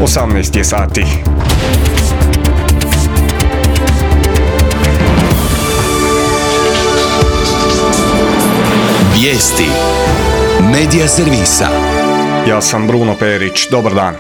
18 je sati. Vijesti Medija servisa. Ja sam Bruno Perić, dobar dan.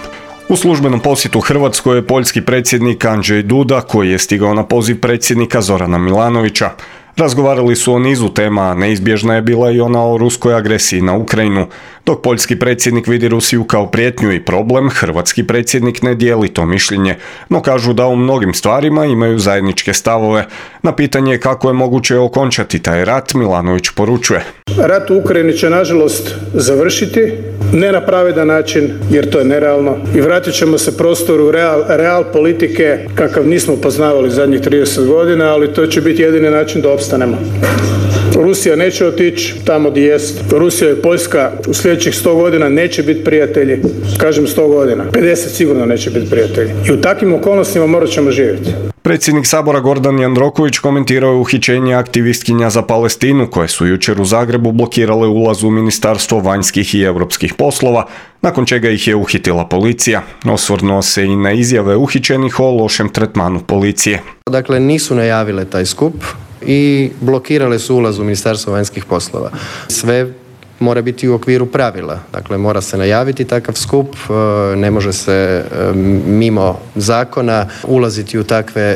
U službenom posjetu Hrvatskoj je poljski predsjednik Andrzej Duda, koji je stigao na poziv predsjednika Zorana Milanovića. Razgovarali su o nizu tema, a neizbježna je bila i ona o ruskoj agresiji na Ukrajinu. Dok poljski predsjednik vidi Rusiju kao prijetnju i problem, hrvatski predsjednik ne dijeli to mišljenje, no kažu da u mnogim stvarima imaju zajedničke stavove. Na pitanje kako je moguće okončati taj rat, Milanović poručuje: Rat u Ukrajini će nažalost završiti, ne na pravedan način, jer to je nerealno, i vratit ćemo se prostoru real politike kakav nismo poznavali zadnjih 30 godina, ali to će biti jedini način da opstanemo. Rusija neće otići tamo gdje jest. Rusija i Poljska u sljedećih 100 godina neće biti prijatelji. Kažem 100 godina. 50 sigurno neće biti prijatelji. I u takvim okolnostima morat ćemo živjeti. Predsjednik Sabora Gordan Jandroković komentirao je uhićenje aktivistkinja za Palestinu koje su jučer u Zagrebu blokirale ulaz u Ministarstvo vanjskih i europskih poslova, nakon čega ih je uhitila policija. Osvrnuo se i na izjave uhićenih o lošem tretmanu policije. Dakle, nisu najavile taj skup i blokirale su ulaz u Ministarstvo vanjskih poslova. Sve mora biti u okviru pravila. Dakle, mora se najaviti takav skup, ne može se mimo zakona ulaziti u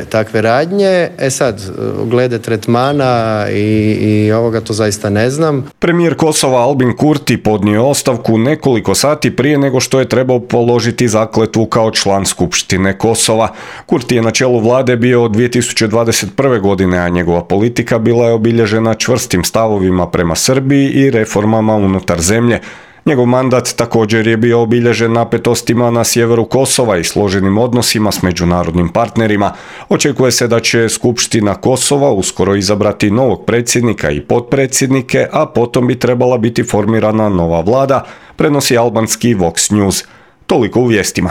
takve radnje. Sad, glede tretmana i ovoga, to zaista ne znam. Premijer Kosova Albin Kurti podnio je ostavku nekoliko sati prije nego što je trebao položiti zakletvu kao član Skupštine Kosova. Kurti je na čelu vlade bio od 2021. godine, a njegova politika bila je obilježena čvrstim stavovima prema Srbiji i reformama unutar zemlje. Njegov mandat također je bio obilježen napetostima na sjeveru Kosova i složenim odnosima s međunarodnim partnerima. Očekuje se da će Skupština Kosova uskoro izabrati novog predsjednika i potpredsjednike, a potom bi trebala biti formirana nova vlada, prenosi albanski Vox News. Toliko u vijestima.